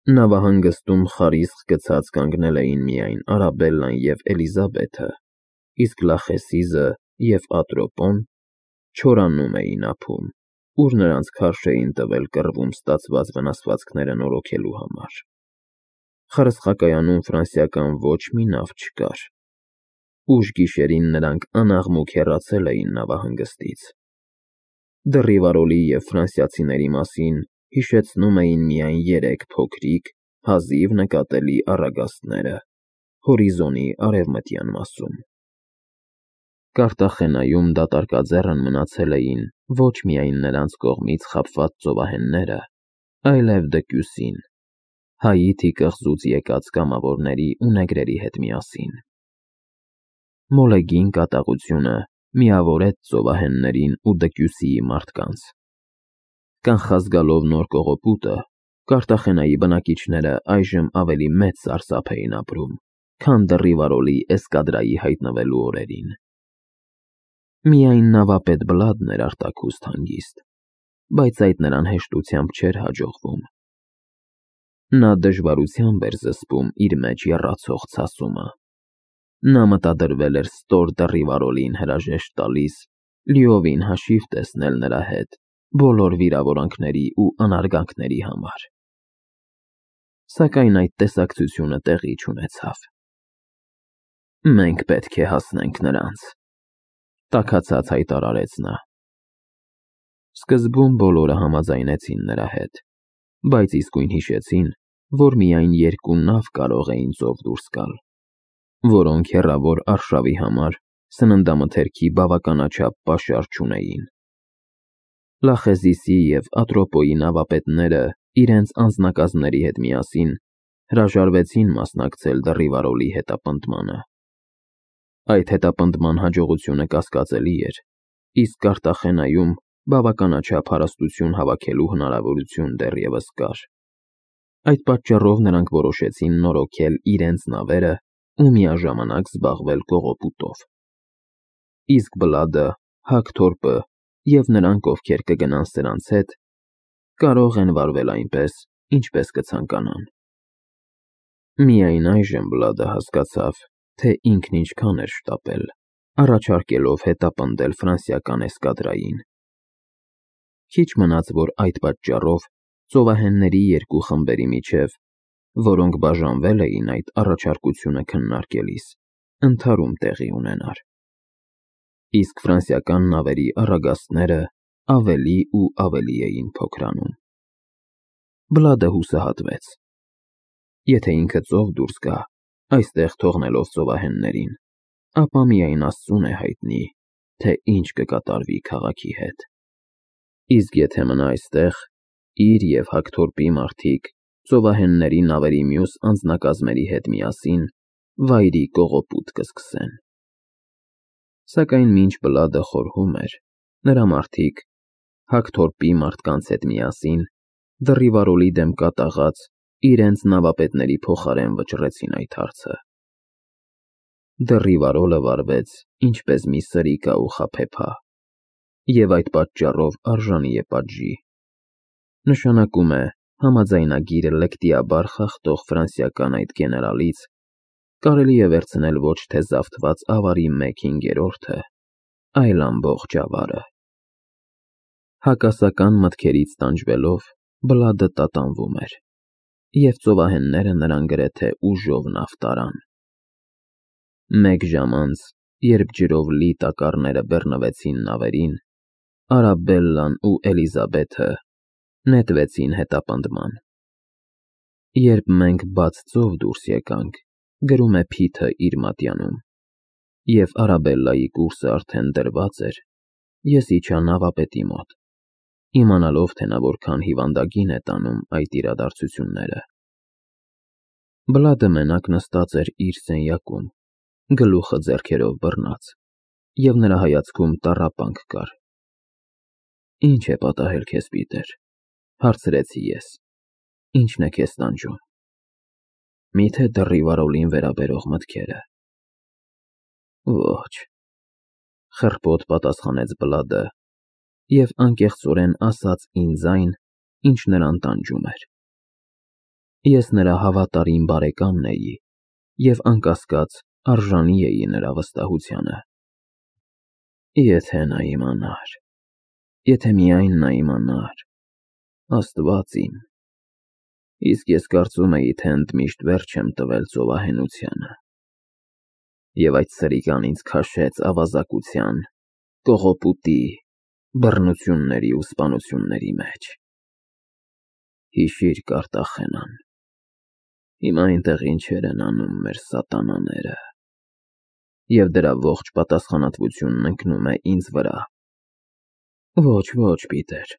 Նավահանգստում խարիսխ գցած կանգնել էին միայն Արաբելլան և Էլիզաբեթը, իսկ Լախեսիզը և Ատրոպոն չորանում էին ափում, ուր նրանց քարշ էին տվել կռվում ստացված վնասվածքները նորոգելու համար։ Խարսխակայանում ֆրանսիական ոչ մի նավ չկար։ Ուշ գիշերին նրանք անաղմուկ հեռացել էին նավահանգստից։ Դռիվարոլի և ֆրանսիացիների մասին հիշեցնում էին միայն երեք փոքրիկ, հազիվ նկատելի առագաստները հորիզոնի արևմտյան մասում։ Կարտախենայում դատարկաձեռն մնացել էին ոչ միայն նրանց կողմից խաբված ծովահենները, այլև Դկյուսին, Հայիթի կղզուց եկած կամավորների ու նեգրերի հետ միասին։ Մոլեգին կատաղությունը միավորեց ծովահեններին ու Դկյուսիի մարդկանց։ Կանխազգալով նոր կողոպուտը, Կարտախենայի բնակիչները այժմ ավելի մեծ սարսափ էին ապրում, քան դռիվարոլի էսկադրայի հայտնվելու օրերին։ Միայն նավապետ Բլադն էր արտաքուստ հանգիստ, բայց այդ նրան հեշտությամբ չէր հաջողվում։ Նա դժվարությամբ էր զսպում իր մեջ եռացող ցասումը։ Նա մտադրվել էր ստոր դռիվարոլին հրաժեշտ տալիս, լիովին հաշիվ տեսնել նրա հետ բոլոր վիրավորանքների ու անարգանքների համար։ Սակայն այդ տեսակցությունը տեղի չունեցավ։ «Մենք պետք է հասնենք նրանց», տաքացած հայտարարեց նա։ Սկզբում բոլորը համաձայնեցին նրա հետ, բայց իսկույն հիշեցին, որ միայն երկու նավ կարող էին ծով դուրս գալ, որոնք հեռավոր արշավի համար սննդամթերքի բավականաչափ պաշար չունեին։ Լախեզիսի և Ատրոպոյի նավապետները իրենց անձնակազմերի հետ միասին հրաժարվեցին մասնակցել դռիվարոլի հետապնդմանը։ Այդ հետապնդման հաջողությունը կասկածելի էր, իսկ Կարտախենայում բավականաչափ հարստություն հավաքելու հնարավորություն դեռևս կար։ Այդ պատճառով նրանք որոշեցին նորոգել իրենց նավերը ու միաժամանակ զբաղվել կողոպուտով։ Իսկ Բլադը, Հակթորպը և նրանք, ովքեր կգնան սրանց հետ, կարող են վարվել այնպես, ինչպես կցանկանան։ Միայն այժմ Բլադը հասկացավ, թե ինքն ինչքան էր շտապել, առաջարկելով հետապնդել ֆրանսիական էսկադրային։ Քիչ մնաց, որ այդ պատճառով ծովահենների երկու խմբերի միջև, որոնք բաժանվել էին այդ առաջարկությունը քննարկելիս, ընդհարում տեղի ունենար։ Իսկ ֆրանսիական նավերի առագաստները ավելի ու ավելի էին փոքրանում։ Բլադը հուսահատվեց. եթե ինքը ծով դուրս գա, այստեղ թողնելով ծովահեններին, ապա միայն Աստծուն է հայտնի, թե ինչ կկատարվի քաղաքի հետ։ Իսկ եթե մնա այստեղ, իր և Հակթորպի մարդիկ ծովահենների նավերի մյուս անձնակազմերի հետ միասին վայրի կողոպուտ կսկսեն։ Սակայն մինչ Բլադը խորհում էր, նրա մարդիկ, Հակթորպի մարդկանց հետ միասին, դռիվարոլի դեմ կատաղած իրենց նավապետների փոխարեն վճռեցին այդ հարցը։ Դռիվարոլը վարվեց ինչպես մի սրիկա ու խաբեբա, և այդ պատճառով արժանի է պատժի։ Նշանակում է, համաձայնագիրը լկտիաբար խախտող ֆրանսիական այդ գեներալից կարելի է վերցնել ոչ թե զավթված ավարի 1/5-ը, այլ ամբողջ ավարը։ Հակասական մտքերից տանջվելով Բլադը տատանվում էր, և ծովահենները նրան գրեթե ուժով նավ տարան։ Մեկ ժամ անց, երբ ջրով լի տակառները բեռնվեցին նավերին, Արաբելլան ու Էլիզաբեթը նետվեցին հետապնդման։ Երբ մենք բաց ծով դուրս եկանք, գրում է Փիթը իր մատյանում, և Արաբելլայի կուրսը արդեն դրված էր, ես իջա նավապետի մոտ, իմանալով, թե նա որքան հիվանդագին է տանում այդ իրադարձությունները։ Բլադը մենակ նստած էր իր սենյակում, գլուխը ձեռքերով բռնած, և նրա հայացքում տառապանք կար։ «Ինչ է պատահել քեզ, Պիտեր», հարցրեցի ես։ «Ի՞նչն է քեզ տանջում»։ «Միթե դռիվարոլին վերաբերող մտքերը»։ «Ոչ», խռպոտ պատասխանեց Բլադը, և անկեղծորեն ասաց ինձ այն, ինչ նրան տանջում էր։ Ես նրա հավատարիմ բարեկամն էի և անկասկած արժանի էի նրա վստահությանը։ Եթե նա իմանար, եթե միայն նա իմանար, Աստված իմ, իսկ ես կարծում էի, թե ընդմիշտ վերջ եմ տվել ծովահենությանը, և այդ սրիկան ինձ քաշեց ավազակության, կողոպուտի, բռնությունների ու սպանությունների մեջ։ Հիշիր, Կարտախենան, հիմա այնտեղ ինչեր են անում մեր սատանաները, և դրա ողջ պատասխանատվությունն ընկնում է ինձ վրա։ Ոչ, Պիտեր,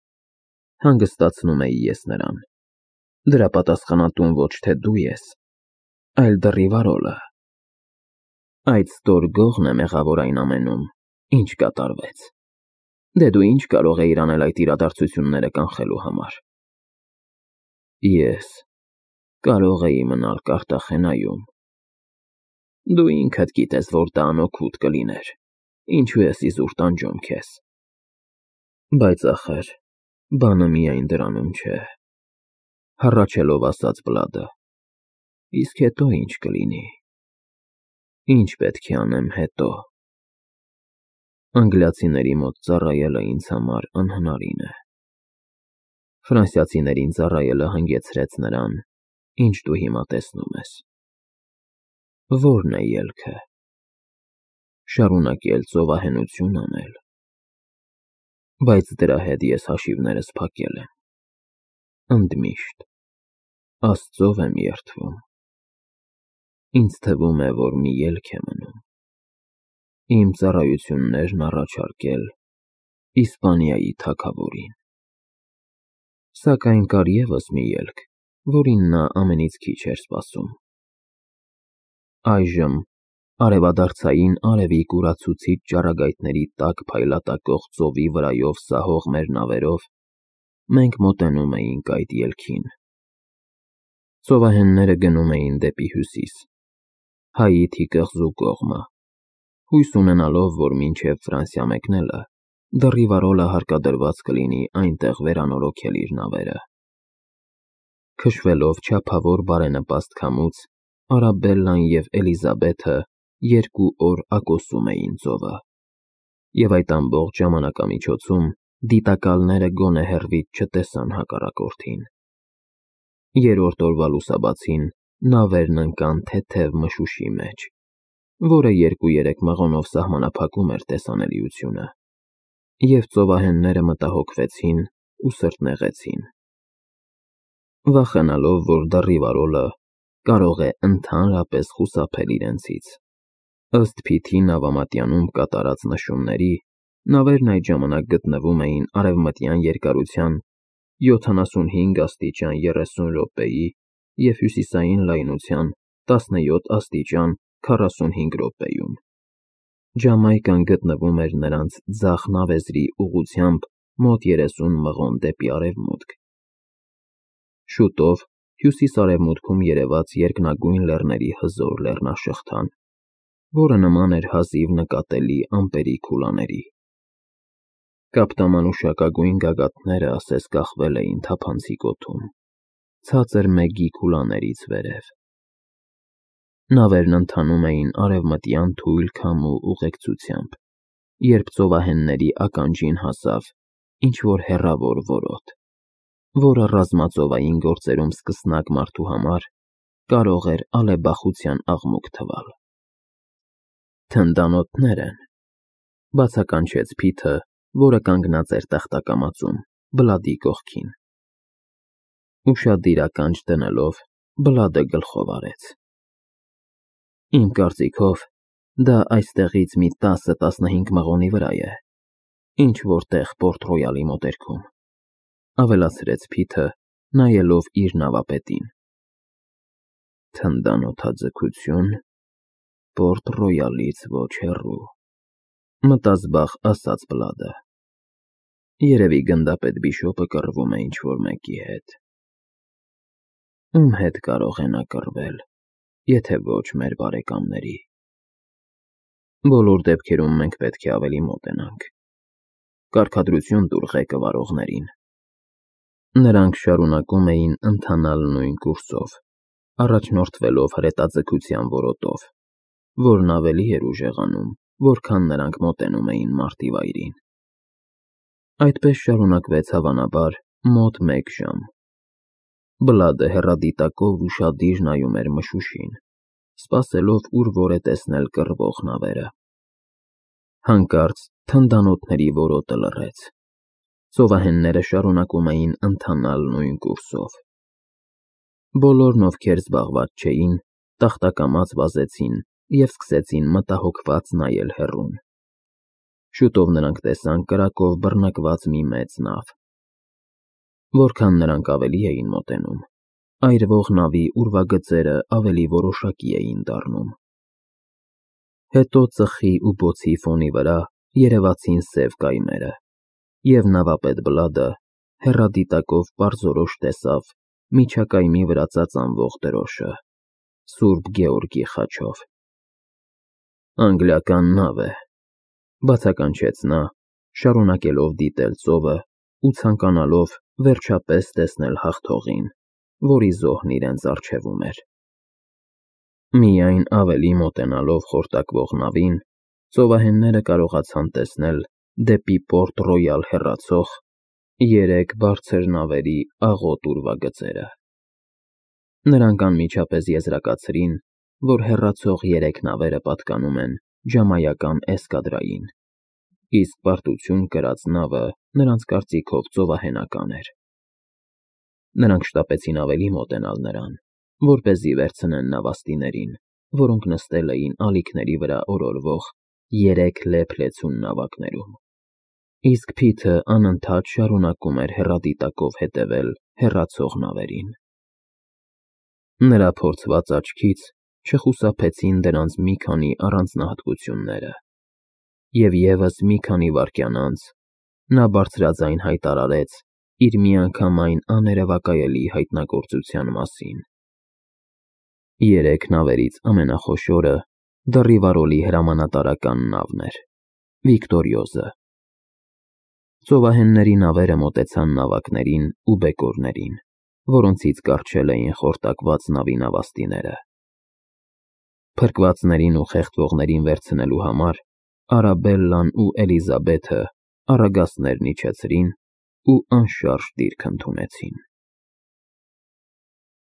հանգստացնում էի ես նրան, դրա պատասխանատուն ոչ թե դու ես, այլ դռիվարոլը։ Այդ ստոր գողն է մեղավոր այն ամենում, ինչ կատարվեց։ Դե դու ինչ կարող էիր անել այդ իրադարձությունները կանխելու համար։ Ես կարող էի մնալ Կարտախենայում։ Դու ինքդ գիտես, որ դա անօգուտ կլիներ, ինչու ես իզուր տանջում քեզ։ Բայց ախր, բանը միայն դրանում չէ, հառաչելով ասաց Բլադը, իսկ հետո ինչ կլինի։ Ինչ պետք է անեմ հետո։ Անգլիացիների մոտ ծառայելը ինձ համար անհնարին է։ Ֆրանսիացիներին ծառայելը հանգեցրեց նրան, ինչ դու հիմա տեսնում ես։ Ո՞րն է ելքը։ Շարունակել ծովահենություն անել։ Բայց դրա հետ ես հաշիվներս փակել եմ։ Ընդմիշտ Աստծով եմ երդվում։ Ինձ թվում է, որ մի ելք է մնում։ Իմ ծառայություններն առաջարկել Իսպանիայի թագավորին։ Սակայն կար ևս մի ելք, որին նա ամենից քիչ էր սպասում։ Այժմ արևադարձային արևի կուրացուցիչ ճառագայթների տակ փայլատակող ծովի վրայով սահող մեր նավերով մենք մոտենում էինք այդ ելքին։ Ծովահենները գնում էին դեպի հյուսիս, Հայիթի կղզու կողմը, հույս ունենալով, որ մինչև Ֆրանսիա մեկնելը դռիվարոլը հարկադրված կլինի այնտեղ վերանորոգել իր նավերը։ Քշվելով չափավոր բարենպաստ քամուց, Արաբելլան և Էլիզաբեթը 2 օր ակոսում էին ծովը, և այդ ամբողջ ժամանակամիջոցում դիտակալները գոնե հեռվից չտեսան հակառակորդին։ Երրորդ օրվա լուսաբացին նավերն ընկան թեթև մշուշի մեջ, որը 2-3 մղոնով սահմանափակում էր տեսանելիությունը, և ծովահենները մտահոգվեցին ու սրտնեղեցին։ Վախենալով, որ դռիվարոլը կարող է ընդհանրապես խուսափել իրենցից, ըստ Փիթի նավամատյանում կատարած նշումների, նավերն այդ ժամանակ գտնվում էին արևմտյան երկարության 75 աստիճան 30 րոպեի և հյուսիսային լայնության 17 աստիճան 45 րոպեում։ Ջամայկան գտնվում էր նրանց ձախ նավեզրի ուղղությամբ մոտ 30 մղոն դեպի արևմուտք։ Շուտով հյուսիս-արևմուտքում երևաց երկնագույն լեռների հզոր լեռնաշղթան, որը նման էր հազիվ նկատելի ամպերի քուլաների։ Կապտամանուշակագույն գագաթները ասես կախվել էին թափանցիկ օդում, ցածր մեգի քուլաներից վերև։ Նավերն ընթանում էին արևմտյան թույլ քամու ուղեկցությամբ, երբ ծովահենների ականջին հասավ ինչ-որ հեռավոր որոտ, որը ռազմածովային գործերում սկսնակ մարդու համար կարող էր ալեբախության աղմուկ թվալ։ Թնդանոթներ են, բացականչեց Փիթը, որը կանգնած էր տախտակամածում, Բլադի կողքին։ Ուշադիր ականջ դնելով, Բլադը գլխով արեց։ Իմ կարծիքով, դա այստեղից մի 10-15 մղոնի վրա է, ինչ-որ տեղ Պորտ Ռոյալի մոտերքում, ավելացրեց Փիթը, նայելով իր նավապետին։ Թնդանոթաձգություն, Պորտ Ռոյալից ոչ հեռու, մտազբաղ ասաց Բլադը։ Երևի գնդապետ Բիշոպը կռվում է ինչ-որ մեկի հետ։ Ում հետ կարող է նա կռվել, եթե ոչ մեր բարեկամների։ Բոլոր դեպքերում մենք պետք է ավելի մոտենանք։ Կարգադրություն տուր ղեկը վարողներին։ Նրանք շարունակում էին ընթանալ նույն կուրսով, առաջնորդվելով հրետաձգության որոտով, որն ավելի էր ուժեղանում, որքան նրանք մոտենում էին մարտի վայրին։ Այդպես շարունակվեց հավանաբար մոտ 1 ժամ։ Բլադը հեռադիտակով ուշադիր նայում էր մշուշին, սպասելով ուր որ է տեսնել կռվող նավերը։ Հանկարծ թնդանոթների որոտը լռեց։ Ծովահենները շարունակում էին ընթանալ նույն կուրսով։ Բոլորն, ովքեր զբաղված չէին, տախտակամած վազեցին և սկսեցին մտահոգված նայել հեռուն։ Շուտով նրանք տեսան կրակով բռնկված մի մեծ նավ։ Որքան նրանք ավելի էին մոտենում, այրվող նավի ուրվագծերը ավելի որոշակի էին դառնում։ Հետո ծխի ու բոցի ֆոնի վրա երևացին սև կայմերը, և նավապետ Բլադը հեռադիտակով պարզորոշ տեսավ միջակայմի վրա ծածանվող դրոշը՝ Սուրբ Գեորգի խաչով։ «Անգլիական նավ է», բացականչեց նա, շարունակելով դիտել ծովը ու ցանկանալով վերջապես տեսնել հաղթողին, որի զոհն իրենց առջևում էր։ Միայն ավելի մոտենալով խորտակվող նավին, ծովահենները կարողացան տեսնել դեպի Պորտ Ռոյալ հեռացող 3 բարձր նավերի աղոտ ուրվագծերը։ Նրանք անմիջապես եզրակացրին, որ հեռացող 3 նավերը պատկանում են Ջամայկան էսկադրային, իսկ պարտություն կրած նավը նրանց կարծիքով ծովահենական էր։ Նրանք շտապեցին ավելի մոտենալ նրան, որպեսզի վերցնեն նավաստիներին, որոնք նստել էին ալիքների վրա օրորվող 3 լեփ-լեցուն նավակներում, իսկ Փիթը անընդհատ շարունակում էր հեռադիտակով հետևել հեռացող նավերին։ Նրա փորձված աչքից չխուսափեցին դրանց մի քանի առանձնահատկությունները, և ևս մի քանի վայրկյան անց նա բարձրաձայն հայտարարեց իր միանգամայն աներևակայելի հայտնագործության մասին։ 3 նավերից ամենախոշորը Դռիվարոլի հրամանատարական նավն էր՝ Վիկտորիոզը։ Ծովահենների նավերը մոտեցան նավակներին ու բեկորներին, որոնցից կառչել էին խորտակված նավի նավաստիները։ Փրկվածներին ու խեղդվողներին վերցնելու համար Արաբելլան ու Էլիզաբեթը առագաստներն իջեցրին ու անշարժ դիրք ընդունեցին։